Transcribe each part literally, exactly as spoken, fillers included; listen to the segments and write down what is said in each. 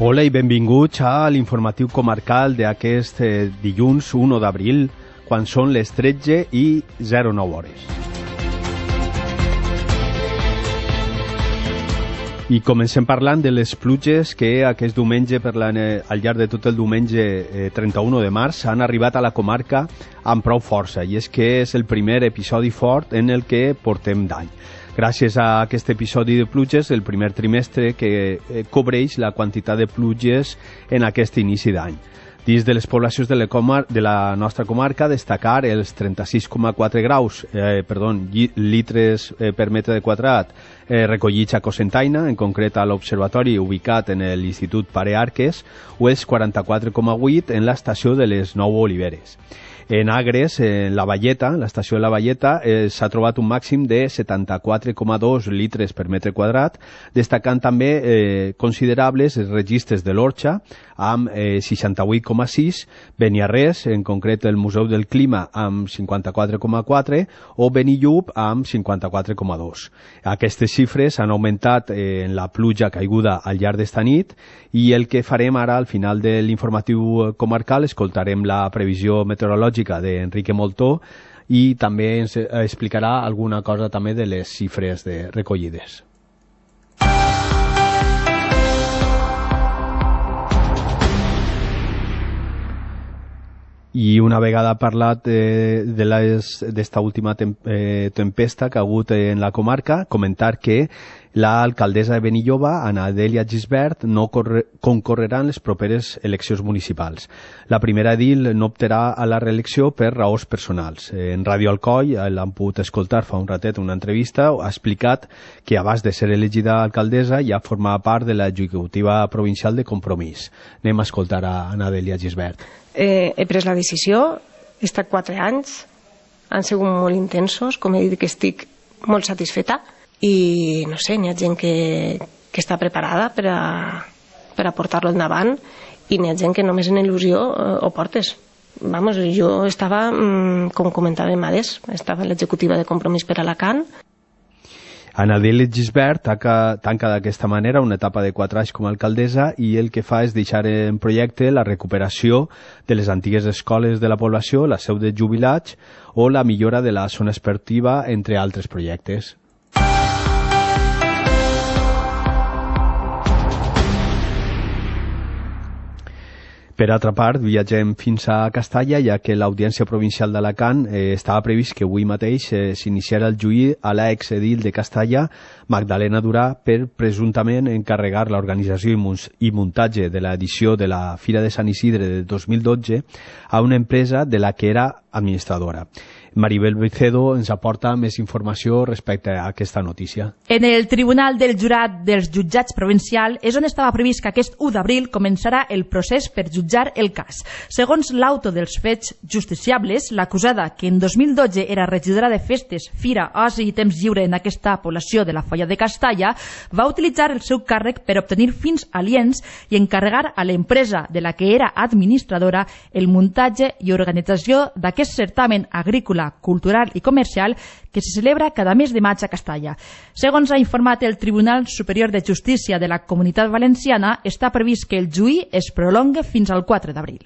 Hola i benvinguts a l'informatiu comarcal d'aquest eh, dilluns u d'abril, quan són les tretze i zero nou hores. I comencem parlant de les pluges que aquest diumenge, per la, al llarg de tot el diumenge eh, trenta-u de març, han arribat a la comarca amb prou força, i és que és el primer episodi fort en el que portem d'any. Gràcies a aquest episodi de pluges, el primer trimestre que eh, cobreix la quantitat de pluges en aquest inici d'any. Dins de les poblacions de la, comar de la nostra comarca, destacar els trenta-sis coma quatre graus, eh, perdó, litres eh, per metre quadrat eh, recollits a Cocentaina, en concret a l'observatori ubicat en l'Institut Pare Arques, o els quaranta-quatre coma vuit en l'estació de les Nou Oliveres. En Agres, en la Valleta, l'estació de la Valleta, eh, s'ha trobat un màxim de setanta-quatre coma dos litres per metre quadrat, destacant també eh, considerables els registres de l'Orxa, amb eh, seixanta-vuit coma sis, Beniarrés, en concret el Museu del Clima, amb cinquanta-quatre coma quatre, o Benillup, amb cinquanta-quatre coma dos. Aquestes xifres han augmentat eh, en la pluja caiguda al llarg d'esta nit, i el que farem ara, al final de l'informatiu comarcal, escoltarem la previsió meteorològica d'Enrique Moltó, i també ens explicarà alguna cosa també de les xifres de recollides. I una vegada parlat eh, d'esta última tem eh, tempesta que ha hagut en la comarca, comentar que l'alcaldessa de Benilloba, Ana Adèlia Gisbert, no concorrerà en les properes eleccions municipals. La primera edil no optarà a la reelecció per raons personals. En Ràdio Alcoi, l'han pogut escoltar fa un ratet una entrevista, ha explicat que abans de ser elegida alcaldessa ja formava part de l'executiva provincial de Compromís. Anem a escoltar a Ana Adèlia Gisbert. Eh, he pres la decisió, he estat quatre anys, han sigut molt intensos, com he dit que estic molt satisfeta, i no sé, n'hi ha gent que, que està preparada per a, per a portar-lo endavant, i n'hi ha gent que només en il·lusió eh, ho portes. Vamos, jo estava, mm, com comentàvem abans, estava a l'executiva de Compromís per Alacant. Ana Adèlia Gisbert tanca d'aquesta manera una etapa de quatre anys com a alcaldessa, i el que fa és deixar en projecte la recuperació de les antigues escoles de la població, la seu de jubilats o la millora de la zona esportiva, entre altres projectes. Per altra part, viatgem fins a Castalla, ja que l'Audiència Provincial d'Alacant eh, estava previst que avui mateix eh, s'iniciara el juí a l'exedil de Castalla, Magdalena Durà, per presumptament encarregar l'organització i muntatge de l'edició de la Fira de Sant Isidre de dos mil dotze a una empresa de la que era administradora. Maribel Vicedo ens aporta més informació respecte a aquesta notícia. En el Tribunal del Jurat dels Jutjats Provincial és on estava previst que aquest u d'abril començarà el procés per jutjar el cas. Segons l'auto dels fets justiciables, l'acusada, que en dos mil dotze era regidora de festes, fira, oci i temps lliure en aquesta població de la Foia de Castalla, va utilitzar el seu càrrec per obtenir fins aliens i encarregar a l'empresa de la que era administradora el muntatge i organització d'aquest certamen agrícola, cultural i comercial que se celebra cada mes de maig a Castalla. Segons ha informat el Tribunal Superior de Justícia de la Comunitat Valenciana, està previst que el juí es prolongue fins al quatre d'abril.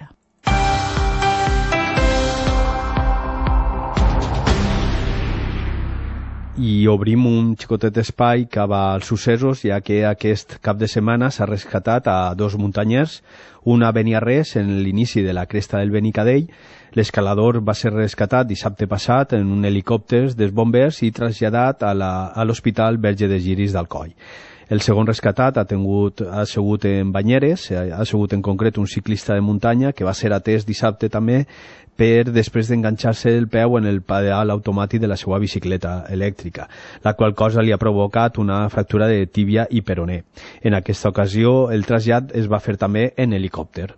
I obrim un xicotet espai cap als successos, ja que aquest cap de setmana s'ha rescatat a dos muntanyers, una a Beniarrés en l'inici de la cresta del Benicadell. L'escalador va ser rescatat dissabte passat en un helicòpter dels bombers i traslladat a l'Hospital Verge de Giris d'Alcoi. El segon rescatat ha, tingut, ha sigut en Banyeres, ha sigut en concret un ciclista de muntanya que va ser atès dissabte també per després d'enganxar-se el peu en el pedal automàtic de la seva bicicleta elèctrica, la qual cosa li ha provocat una fractura de tíbia i peroné. En aquesta ocasió, el trasllat es va fer també en helicòpter.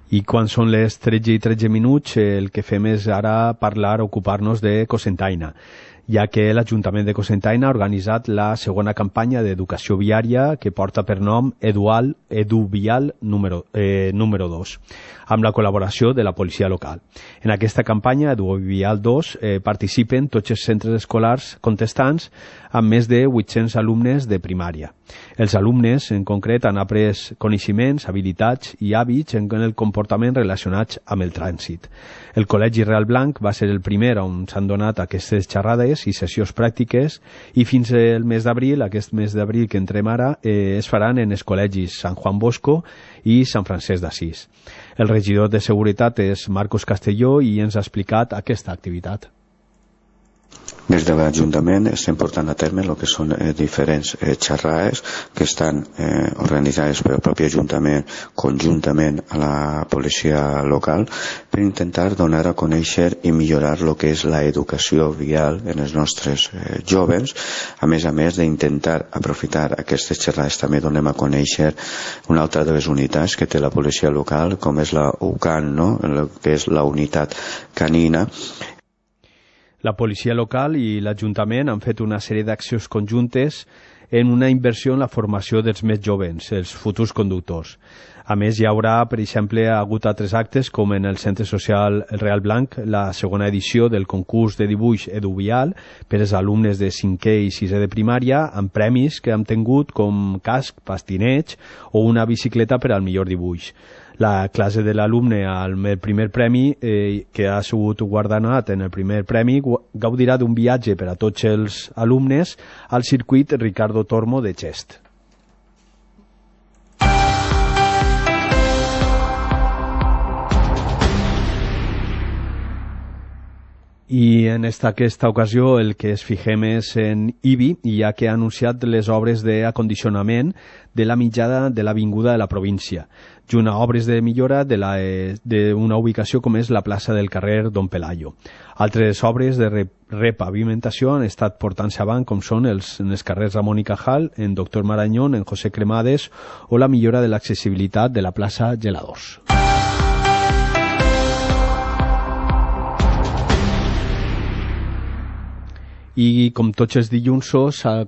I quan són les tretze i tretze minuts, el que fem és ara parlar, ocupar-nos de Cocentaina. ja que l'Ajuntament de Cocentaina ha organitzat la segona campanya d'educació viària que porta per nom Edual, Eduvial número, eh, número dos, amb la col·laboració de la policia local. En aquesta campanya, Eduvial dos, eh, participen tots els centres escolars contestants amb més de vuit-cents alumnes de primària. Els alumnes, en concret, han après coneixements, habilitats i hàbits en el comportament relacionats amb el trànsit. El Col·legi Real Blanc va ser el primer on s'han donat aquestes xerrades i sessions pràctiques i fins al mes d'abril, aquest mes d'abril que entrem ara, eh, es faran en els col·legis Sant Juan Bosco i Sant Francesc d'Assís. El regidor de Seguretat és Marcos Castelló i ens ha explicat aquesta activitat. Des de l'Ajuntament estem portant a terme el que són eh, diferents eh, xerrades que estan eh, organitzades pel propi Ajuntament conjuntament a la policia local per intentar donar a conèixer i millorar el que és l'educació vial en els nostres eh, joves. A més a més d'intentar aprofitar aquestes xerrades també donem a conèixer una altra de les unitats que té la policia local, com és la U C A N, no? El que és la unitat canina. La policia local i l'Ajuntament han fet una sèrie d'accions conjuntes en una inversió en la formació dels més joves, els futurs conductors. A més, hi haurà, per exemple, ha hagut altres actes com en el Centre Social Real Blanc, la segona edició del concurs de dibuix Eduvial per als alumnes de cinquè i sisè de primària, amb premis que han tingut com casc, pastineig o una bicicleta per al millor dibuix. La classe de l'alumne amb el primer premi, eh, que ha sigut guardonat en el primer premi, gaudirà d'un viatge per a tots els alumnes al circuit Ricardo Tormo de Xest. I en esta, aquesta ocasió el que es fixem és en Ibi, ja que ha anunciat les obres d'acondicionament de la mitjana de l'avinguda de la província, junt a obres de millora d'una ubicació com és la plaça del carrer Don Pelayo. Altres obres de repavimentació han estat portant-se avant, com són els, en els carrers Ramon i Cajal, en Doctor Marañón, en José Cremades, o la millora de l'accessibilitat de la plaça Geladors. I com tots els dilluns,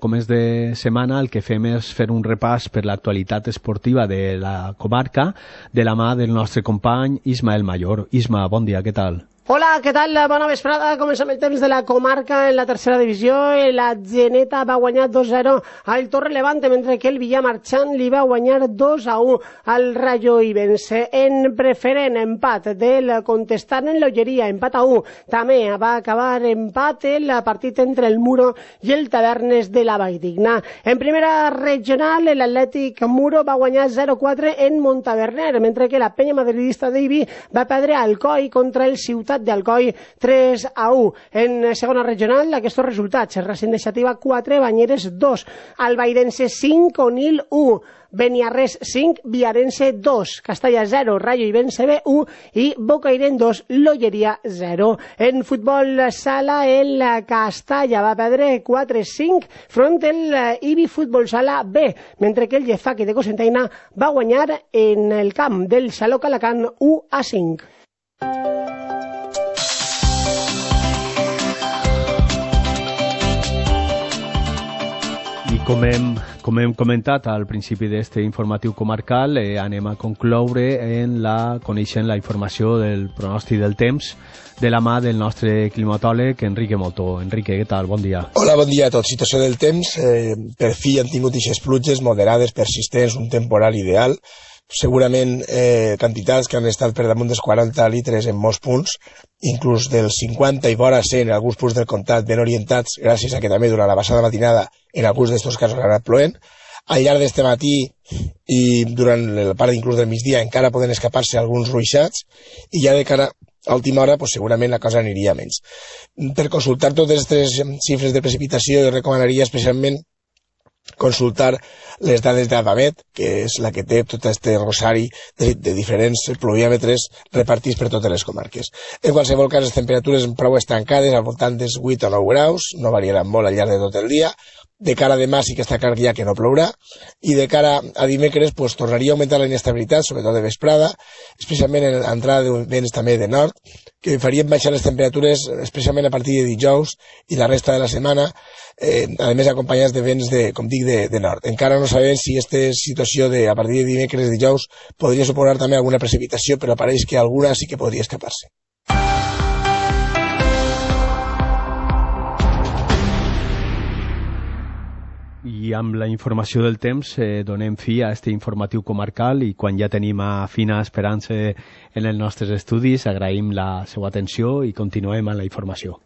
com és de setmana, el que fem és fer un repàs per l'actualitat esportiva de la comarca de la mà del nostre company Ismael Mayor. Isma, bon dia, què tal? Hola, què tal? Bona vesprada. Comencem el temps de la comarca en la tercera divisió. La Geneta va guanyar dos a zero al Torre Levante, mentre que el Villamarchant li va guanyar dos a u al Rayo Ibense. En preferent empat del contestant en l'Olleria, empat a u. També va acabar empat el partit entre el Muro i el Tavernes de la Valldigna. En primera regional, l'Atlètic Muro va guanyar zero a quatre en Montaverner, mentre que la penya madridista d'Ibi va perdre a Alcoi contra el Ciutat d'Alcoi tres a u. En segona regional, aquests resultats: Racing de Xàtiva quatre, Banyeres dos, Albairense cinc, Onil u, Beniarrés cinc, Viarense dos, Castalla zero, Rayo Ibense B u i Bocairent dos, L'Olleria zero. En futbol sala, el Castalla va perdre quatre a cinc front el Ibi Futbol Sala B, mentre que el Llefaqui de Cocentaina va guanyar en el camp del Xaloc Alacant u a cinc. Com hem, com hem comentat al principi d'aquest informatiu comarcal, eh, anem a concloure en la, coneixent la informació del pronòstic del temps de la mà del nostre climatòleg Enrique Motó. Enrique, què tal? Bon dia. Hola, bon dia a tots. Situació del temps, eh, per fi han tingut aquestes pluges moderades, persistents, un temporal ideal, segurament eh, quantitats que han estat per damunt dels quaranta litres en molts punts, inclús dels cinquanta i vora cent en alguns punts del comtat ben orientats, gràcies a que també durant la passada matinada en alguns d'estos casos ha anat plovent. Al llarg d'este matí i durant la part inclús del migdia encara poden escapar-se alguns ruixats i ja de cara a última hora pues, segurament la cosa aniria menys. Per consultar totes aquestes xifres de precipitació jo recomanaria especialment consultar les dades d'Avamet, que és la que té tot aquest rosari de, de diferents pluviòmetres repartits per totes les comarques. En qualsevol cas, les temperatures prou estancades, al voltant dels vuit o nou graus, no variaran molt al llarg de tot el dia. De cara a demà sí que està clar ja que no plourà, i de cara a dimecres pues, tornaria a augmentar la inestabilitat, sobretot de vesprada, especialment en l'entrada de vents també de nord, que farien baixar les temperatures especialment a partir de dijous i la resta de la setmana, eh, a més acompanyats de vents, de, com dic, de, de nord. Encara no sabem si aquesta situació de a partir de dimecres i dijous podria suposar també alguna precipitació, però pareix que alguna sí que podria escapar-se. I amb la informació del temps eh, donem fi a este informatiu comarcal, i quan ja tenim a Fina Esperança en els nostres estudis agraïm la seva atenció i continuem amb la informació.